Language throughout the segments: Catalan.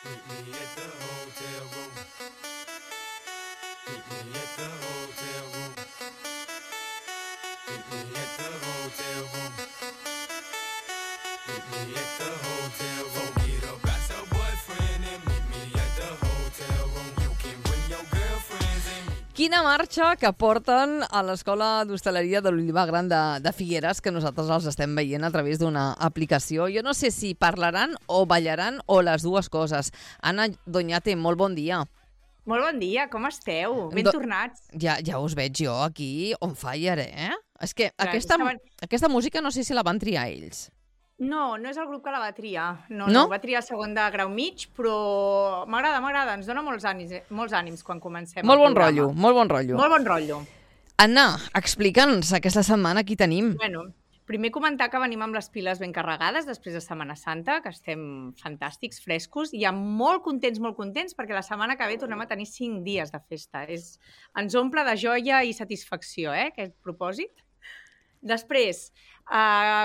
Meet me at the hotel room. Meet me at the hotel room. Meet me at the hotel room. Meet me at the hotel room. Forget about your boyfriend and meet me at the hotel room. You can bring your girlfriends and meet. Quina marxa que porten a l'Escola d'Hostaleria de l'Olivar Gran de Figueres, que nosaltres els estem veient a través d'una aplicació. Jo no sé si parlaran o ballaran o les dues coses. Anna Doñate, molt bon dia. Molt bon dia, com esteu? Ben tornats. Ja us veig jo aquí on fire, eh? És que Clar, aquesta música no sé si la van triar ells. No és el grup que la va triar. No, va triar el segon de grau mig, però m'agrada, ens dona molts ànims quan comencem Molt el bon programa. rotllo, molt bon rotllo. Molt bon rotllo. Anna, explica'ns aquesta setmana qui tenim. Bueno, primer comentar que venim amb les piles ben carregades després de Setmana Santa, que estem fantàstics, frescos, i molt contents, perquè la setmana que ve tornem a tenir 5 dies de festa. Ens omple de joia i satisfacció, aquest propòsit. Després,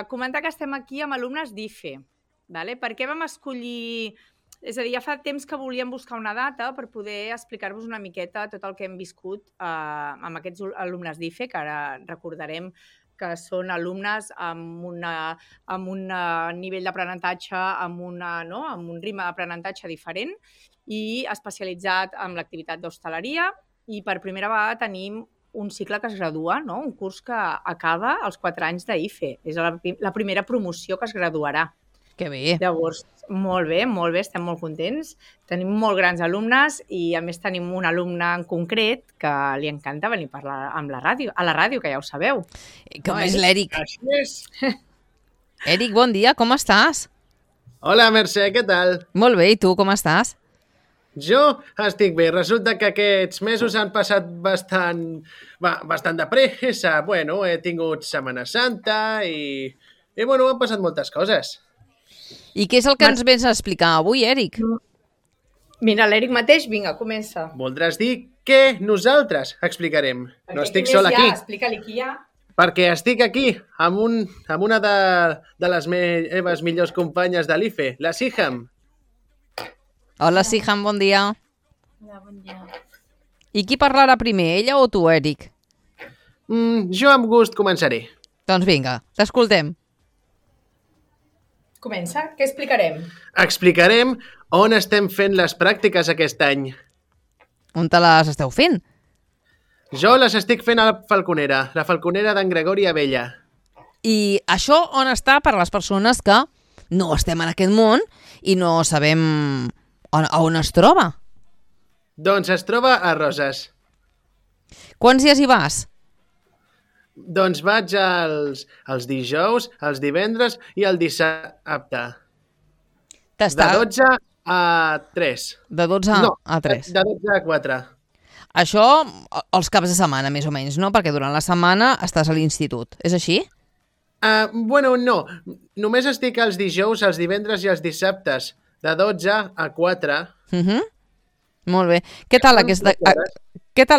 comentar que estem aquí amb alumnes d'IFE. Per què vam escollir... És a dir, ja fa temps que volíem buscar una data per poder explicar-vos una miqueta tot el que hem viscut amb aquests alumnes d'IFE, que ara recordarem que són alumnes amb un nivell d'aprenentatge, amb un ritme d'aprenentatge diferent i especialitzat en l'activitat d'hostaleria, i per primera vegada tenim un cicle que es gradua, un curs que acaba als 4 anys d'IFE. És la primera promoció que es graduarà. Que bé. Llavors, molt bé, estem molt contents. Tenim molt grans alumnes i, a més, tenim un alumne en concret que li encanta venir a parlar a la ràdio, que ja ho sabeu. Com és l'Eric. Gràcies. Eric, bon dia, com estàs? Hola, Mercè, què tal? Molt bé, i tu, com estàs? Jo estic bé. Resulta que aquests mesos han passat bastant de pressa. Bueno, he tingut Setmana Santa i han passat moltes coses. I què és el que ens vens a explicar avui, Eric? Mira, l'Eric mateix, vinga, comença. Voldràs dir que nosaltres explicarem. No estic sol aquí. Explica-li qui hi ha. Perquè estic aquí amb una de les meves millors companyes de l'IFE, la Siham. Hola, Siham, bon dia. Hola, bon dia. I qui parlarà primer, ella o tu, Eric? Jo amb gust començaré. Doncs vinga, t'escoltem. Comença, què explicarem? Explicarem on estem fent les pràctiques aquest any. On te les esteu fent? Jo les estic fent a la Falconera d'en Gregori Abella. I això on està per a les persones que no estem en aquest món i no sabem on es troba? Doncs es troba a Roses. Quants dies hi vas? Doncs vaig els dijous, els divendres i el dissabte. De 12 a 3. De 12 a 3. De 12 a 4. Això els caps de setmana, més o menys, no? Perquè durant la setmana estàs a l'institut. És així? No. Només estic els dijous, els divendres i els dissabtes. De 12 a 4. Molt bé. Què tal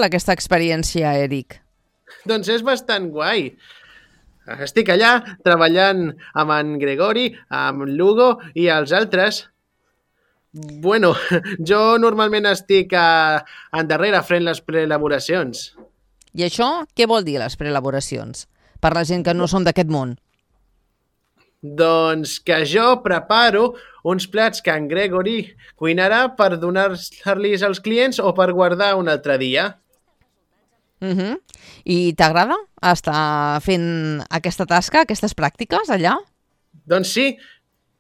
aquesta experiència, Eric? Doncs és bastant guai. Estic allà treballant amb en Gregori, amb l'Hugo i els altres. Jo normalment estic endarrere fent les preelaboracions. I això què vol dir, les preelaboracions? Per la gent que no som d'aquest món. Doncs que jo preparo uns plats que en Gregori cuinarà per donar-los als clients o per guardar un altre dia. I t'agrada estar fent aquesta tasca, aquestes pràctiques allà? Doncs sí,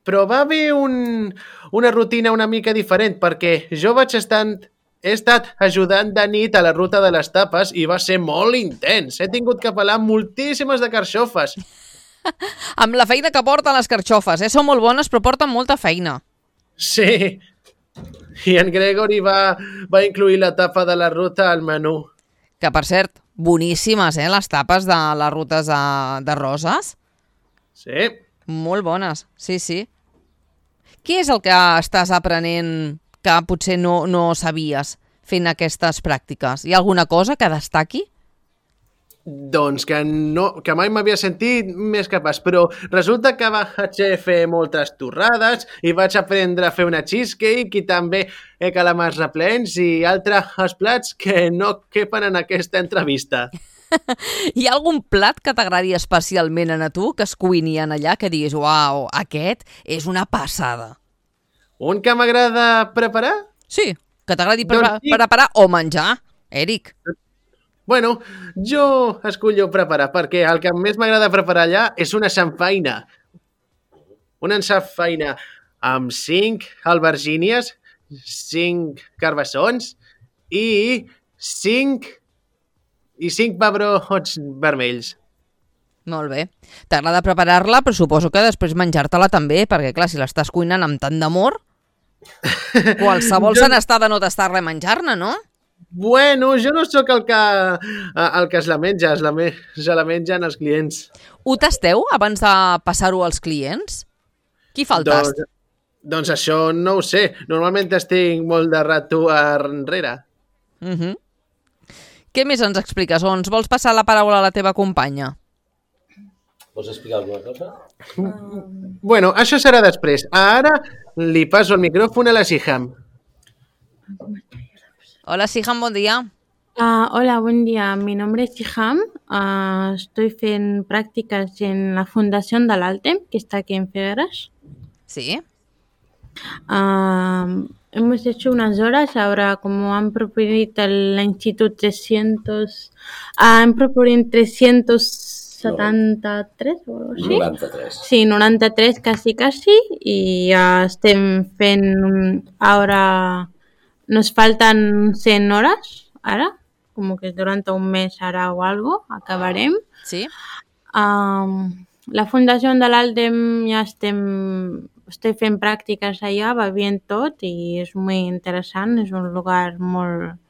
però va haver una rutina una mica diferent, perquè jo he estat ajudant de nit a la ruta de les tapes i va ser molt intens. He tingut que pelar moltíssimes de carxofes. Amb la feina que porten les carxofes, són molt bones però porten molta feina. Sí, i en Gregori va incluir la tapa de la ruta al menú. Que, per cert, boníssimes, les tapes de les rutes de Roses. Sí. Molt bones, sí. Què és el que estàs aprenent que potser no sabies fent aquestes pràctiques? Hi ha alguna cosa que destaqui? Doncs que mai m'havia sentit més capaç, però resulta que vaig fer moltes torrades i vaig aprendre a fer una cheesecake i també calamars replens i altres plats que no quepen en aquesta entrevista. Hi ha algun plat que t'agradi especialment a tu, que es cuini en allà, que diguis, uau, aquest és una passada? Un que m'agrada preparar? Sí, que t'agradi Doncs sí. preparar o menjar, Eric. Bueno, jo escollo preparar, perquè el que més m'agrada preparar allà és una samfaina. Una samfaina amb 5 albergínies, 5 carbassons i 5 pebrots vermells. Molt bé. T'agrada preparar-la, però suposo que després menjar-te-la també, perquè clar, si l'estàs cuinant amb tant d'amor, qualsevol se n'està de no tastar-la i menjar-ne, no? Bueno, jo no sóc el que es la menja, se la mengen els clients. Ho tasteu abans de passar-ho als clients? Qui fa el tast? Doncs això no ho sé. Normalment estic molt de rato enrere. Què més ens expliques? O ens vols passar la paraula a la teva companya? Vols explicar alguna cosa? Bueno, això serà després. Ara li passo el micròfon a la Siham. Hola, Siham, bon dia. Hola, buen día. Mi nombre es Siham. Estoy en prácticas en la Fundación del Altem, que está aquí en Figueras. Sí? Hemos hecho unas horas. Ahora, como han propuesto el Instituto 300, han propuesto 373 o algo así. 93. Sí, 93 casi, y estem fent ahora. Nos faltan 100 horas, ahora, como que durante un mes ahora o algo, acabarem. Sí? La Fundació de l'Altem ja estem fent pràctiques allà, va bien tot i és molt interessant, és un lugar molt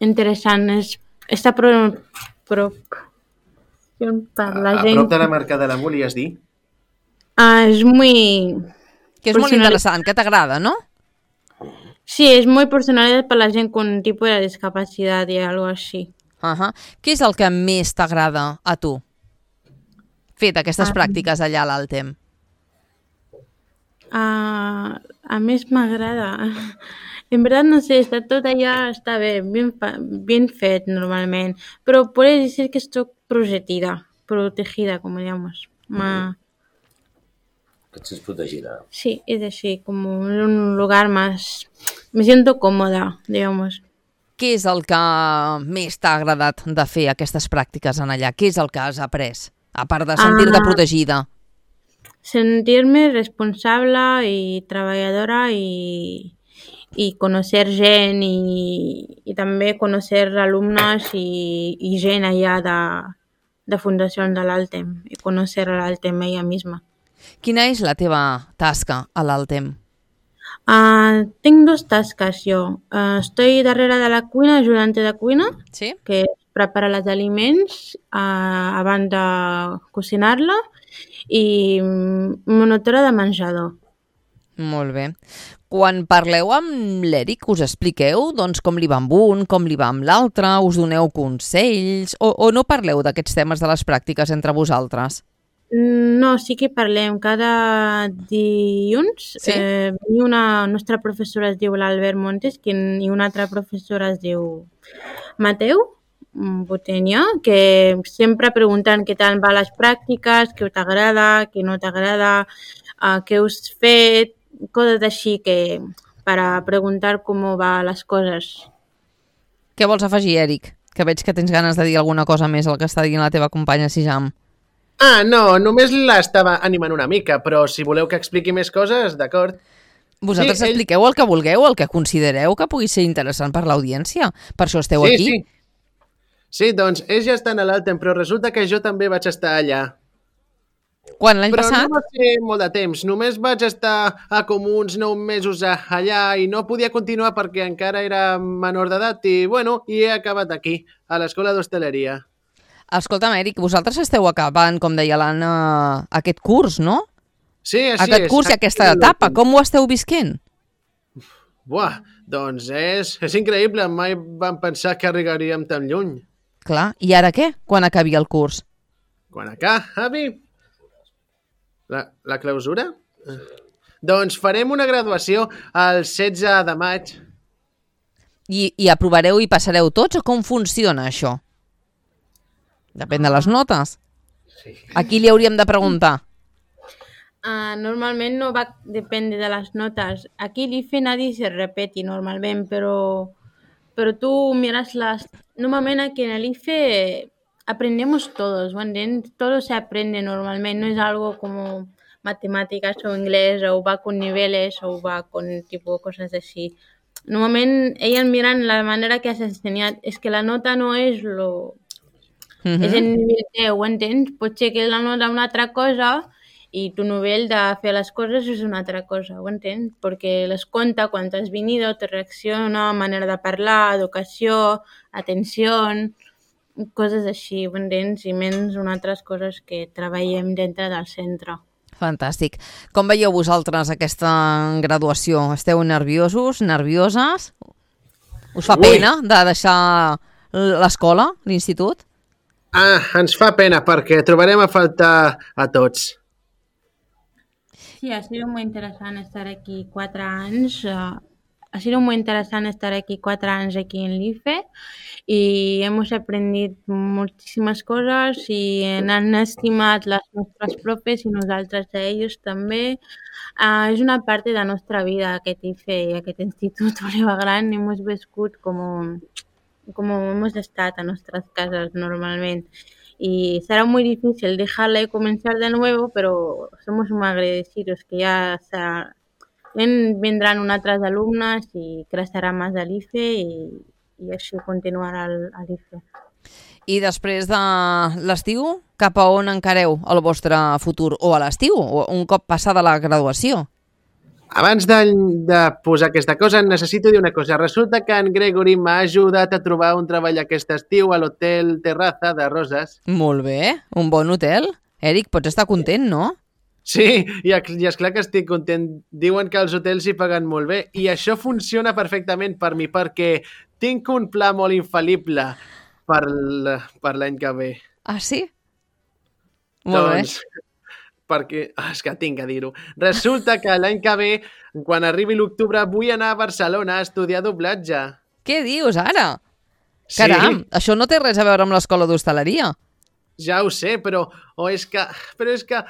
interessant. Està per la gent. A prop de la marca de la volies dir? És molt... Que és molt interessant, que t'agrada, ¿no? Sí, es muy personal para la gent con un tipo de discapacidad y algo así. Què és el que més t'agrada a tu? Fet aquestes pràctiques allà a l'Altem. A més m'agrada. En verdad no sé, está tot allà, està bé, bien fet normalment, però puedes decir que estoy protegida, como digamos. Que et sents protegida. Sí, es así, como un lugar más... Me siento cómoda, digamos. Què és el que més t'ha agradat de fer aquestes pràctiques en allà? Què és el que has après? A part de sentir-te protegida. Sentir-me responsable i treballadora i conocer gent i també conocer alumnes i gent allà de Fundació de l'Altem i conocer l'Altem ella misma. Quina és la teva tasca a l'Altem? Tengo 2 tasques jo. Estoy darrere de la cuina, ajudante de cuina, Sí? que és preparar els aliments abans de cocinar-la, i monitora de menjador. Molt bé. Quan parleu amb l'Eric, us expliqueu doncs, com li va amb un, com li va amb l'altre, us doneu consells, o no parleu d'aquests temes de les pràctiques entre vosaltres? No, sí que parlem. Cada dilluns una nostra professora es diu l'Albert Montes i una altra professora es diu Mateu Botenya, que sempre pregunten què tal van les pràctiques, què t'agrada, què no t'agrada, què us fet, coses així que per a preguntar com van les coses. Què vols afegir, Eric? Que veig que tens ganes de dir alguna cosa més al que està dient la teva companya Siham. No, només l'estava animant una mica, però si voleu que expliqui més coses, d'acord. Vosaltres expliqueu el que vulgueu, el que considereu que pugui ser interessant per l'audiència. Per això esteu aquí. Sí, doncs ells ja estan a l'Altem, però resulta que jo també vaig estar allà. Quan, l'any passat? Però no va ser molt de temps, només vaig estar com uns 9 mesos allà i no podia continuar perquè encara era menor d'edat i, he acabat aquí, a l'escola d'hostaleria. Escolta'm, Eric, vosaltres esteu acabant, com deia l'Anna, aquest curs, no? Sí, així és. Aquest curs i aquesta etapa, com ho esteu visquent? Buah, doncs és increïble. Mai vam pensar que arribaríem tan lluny. Clar, i ara què, quan acabi el curs? Quan acabi la clausura? Doncs farem una graduació el 16 de maig. I aprovareu i passareu tots o com funciona això? Depèn de les notes. Sí. A qui li hauríem de preguntar? Normalment no va dependre de les notes. Aquí l'IFE nadie se repeti normalment, pero tú miras las... Normalment aquí en el IFE aprendemos todos, ¿entiendes? Todo se aprende normalmente, no es algo como matemáticas o inglés o va con niveles o va con tipo cosas así. Normalment ells miren la manera que has ensenyat. És que la nota no és lo... És el nivell 10, entens? Pot ser que la nota una altra cosa i tu nivell de fer les coses és una altra cosa, ho entens? Perquè les compta quan has venido, te reacciona, manera de parlar, educació, atenció, coses així, ho entens? I menys unes altres coses que treballem dintre del centre. Fantàstic. Com veieu vosaltres aquesta graduació? Esteu nerviosos, nervioses? Us fa pena de deixar l'escola, l'institut? Ens fa pena perquè trobarem a faltar a tots. Sí, ha sido muy interesante estar aquí 4 años. Ha sido muy interesante estar aquí 4 años aquí en l'IFE y hemos aprendido muchísimas cosas y han estimat les nostres profes i nosaltres a ells també. És una part de la nostra vida, aquest IFE i aquest institut Oliva Gran. Hemos viscut como hemos estat a nuestras casas normalmente. Y será muy difícil dejarla y comenzar de nuevo, pero somos muy agradecidos que ya vendrán unas otras alumnas y crecerá más el IFE y així continuarà l'IFE. I després de l'estiu, cap a on encareu el vostre futur? O a l'estiu, o un cop passada la graduació? Abans de posar aquesta cosa, necessito dir una cosa. Resulta que en Gregory m'ha ajudat a trobar un treball aquest estiu a l'Hotel Terraza de Roses. Molt bé, un bon hotel. Eric, pots estar content, no? Sí, i és clar que estic content. Diuen que els hotels hi paguen molt bé i això funciona perfectament per mi perquè tinc un pla molt infal·lible per l'any que ve. Ah, sí? Molt bé. Perquè, és que tinc que dir-ho. Resulta que l'any que ve, quan arribi l'octubre, vull anar a Barcelona a estudiar doblatge. Què dius ara? Sí. Caram, això no té res a veure amb l'escola d'hostaleria. Ja ho sé, però és que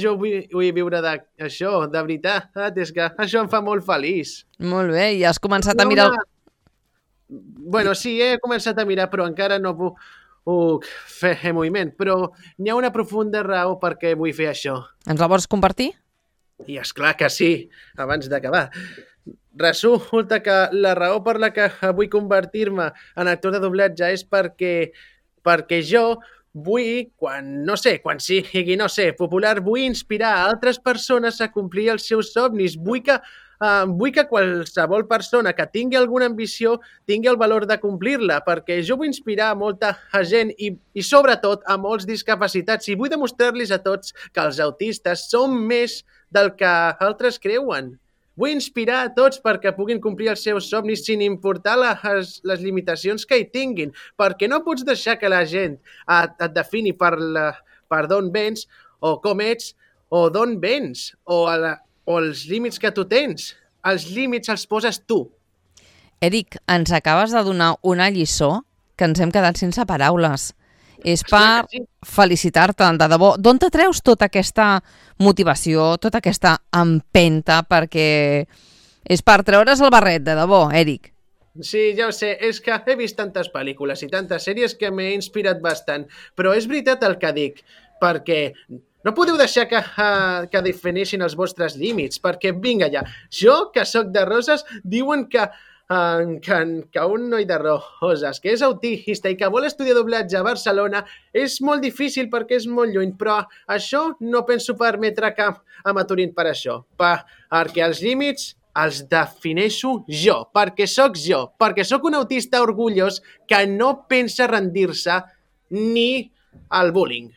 jo vull viure d'això, de veritat. És que això em fa molt feliç. Molt bé, i has començat a mirar... Bueno, sí, he començat a mirar, però encara no puc fer moviment. Però n'hi ha una profunda raó per què vull fer això. Ens la vols compartir? I és clar que sí, abans d'acabar. Resulta que la raó per la que vull convertir-me en actor de doblatge és perquè jo vull, quan sigui, popular, vull inspirar a altres persones a complir els seus somnis. Vull que qualsevol persona que tingui alguna ambició tingui el valor de complir-la, perquè jo vull inspirar a molta gent i sobretot a molts discapacitats i vull demostrar-los a tots que els autistes són més del que altres creuen. Vull inspirar a tots perquè puguin complir els seus somnis sin importar les limitacions que hi tinguin, perquè no pots deixar que la gent et defini per d'on vens o com ets o d'on vens o els límits que tu tens. Els límits els poses tu. Eric, ens acabes de donar una lliçó que ens hem quedat sense paraules. És per felicitar-te, de debò. D'on te treus tota aquesta motivació, tota aquesta empenta, perquè és per treure's el barret, de debò, Eric. Sí, ja ho sé, és que he vist tantes pel·lícules i tantes sèries que m'he inspirat bastant, però és veritat el que dic, perquè no podeu deixar que defineixin els vostres límits, perquè vinga ja, jo, que sóc de Roses, diuen que un noi de Roses que és autista i que vol estudiar doblatge a Barcelona és molt difícil perquè és molt lluny, però això no penso permetre que m'aturin per això, perquè els límits els defineixo jo, perquè sóc un autista orgullós que no pensa rendir-se ni al bullying.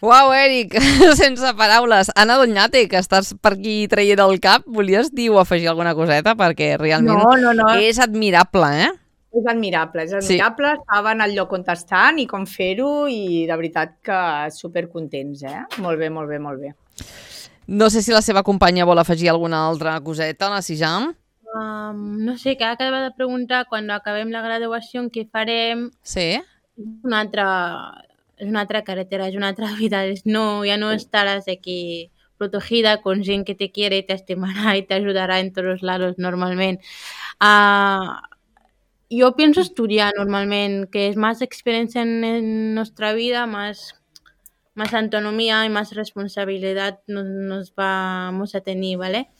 Uau, Eric, sense paraules. Anna Doñate, que estàs per aquí traient el cap, volies dir o afegir alguna coseta? Perquè realment No. és admirable, eh? És admirable, Estaven al lloc on estan i com fer-ho i de veritat que supercontents, Molt bé, molt bé, molt bé. No sé si la seva companya vol afegir alguna altra coseta, la Sijam. No sé, que acaba de preguntar quan acabem la graduació què farem. Sí? És una altra carretera, és una altra vida. Ya no estarás aquí protegida con gent que te quiere, te estimará y te ayudará en todos lados normalment. Yo pienso estudiar normalment, que es más experiencia en nuestra vida, más autonomía y más responsabilidad nos vamos a tener, ¿vale?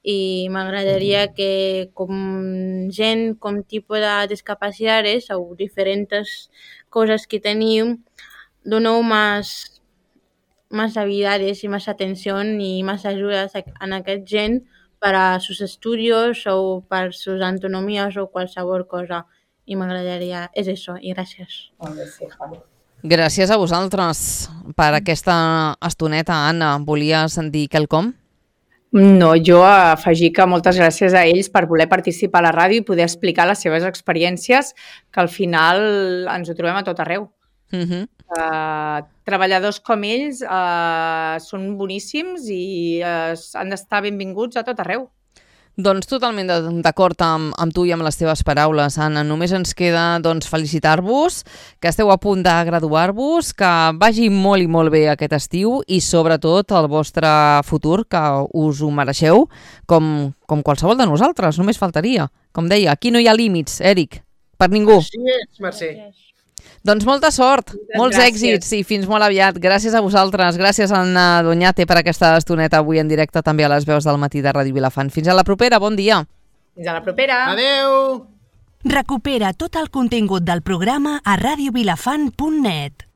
I m'agradaria que com gent, com tipus de discapacitats o diferents coses que tenim, doneu más habilidades y más atención y más ayudas a aquest gent para sus estudios o para sus autonomías o qualsevol cosa. I m'agradaria... És això, i gràcies. Gràcies a vosaltres per aquesta estoneta, Anna. Volies dir quelcom? No, jo afegir que moltes gràcies a ells per voler participar a la ràdio i poder explicar les seves experiències, que al final ens ho trobem a tot arreu. Treballadors com ells són boníssims i han d'estar benvinguts a tot arreu. Doncs totalment d'acord amb tu i amb les teves paraules, Anna. Només ens queda felicitar-vos, que esteu a punt de graduar-vos, que vagi molt i molt bé aquest estiu i sobretot el vostre futur, que us ho mereixeu, com qualsevol de nosaltres, només faltaria. Com deia, aquí no hi ha límits, Eric, per ningú. Així és, Mercè. Doncs molta sort, molts èxits i fins molt aviat. Gràcies a vosaltres, gràcies a Anna Doñate per aquesta estoneta avui en directe també a les veus del matí de Ràdio Vilafant. Fins a la propera, bon dia. Fins a la propera. Adeu! Recupera tot el contingut del programa a radiovilafant.net.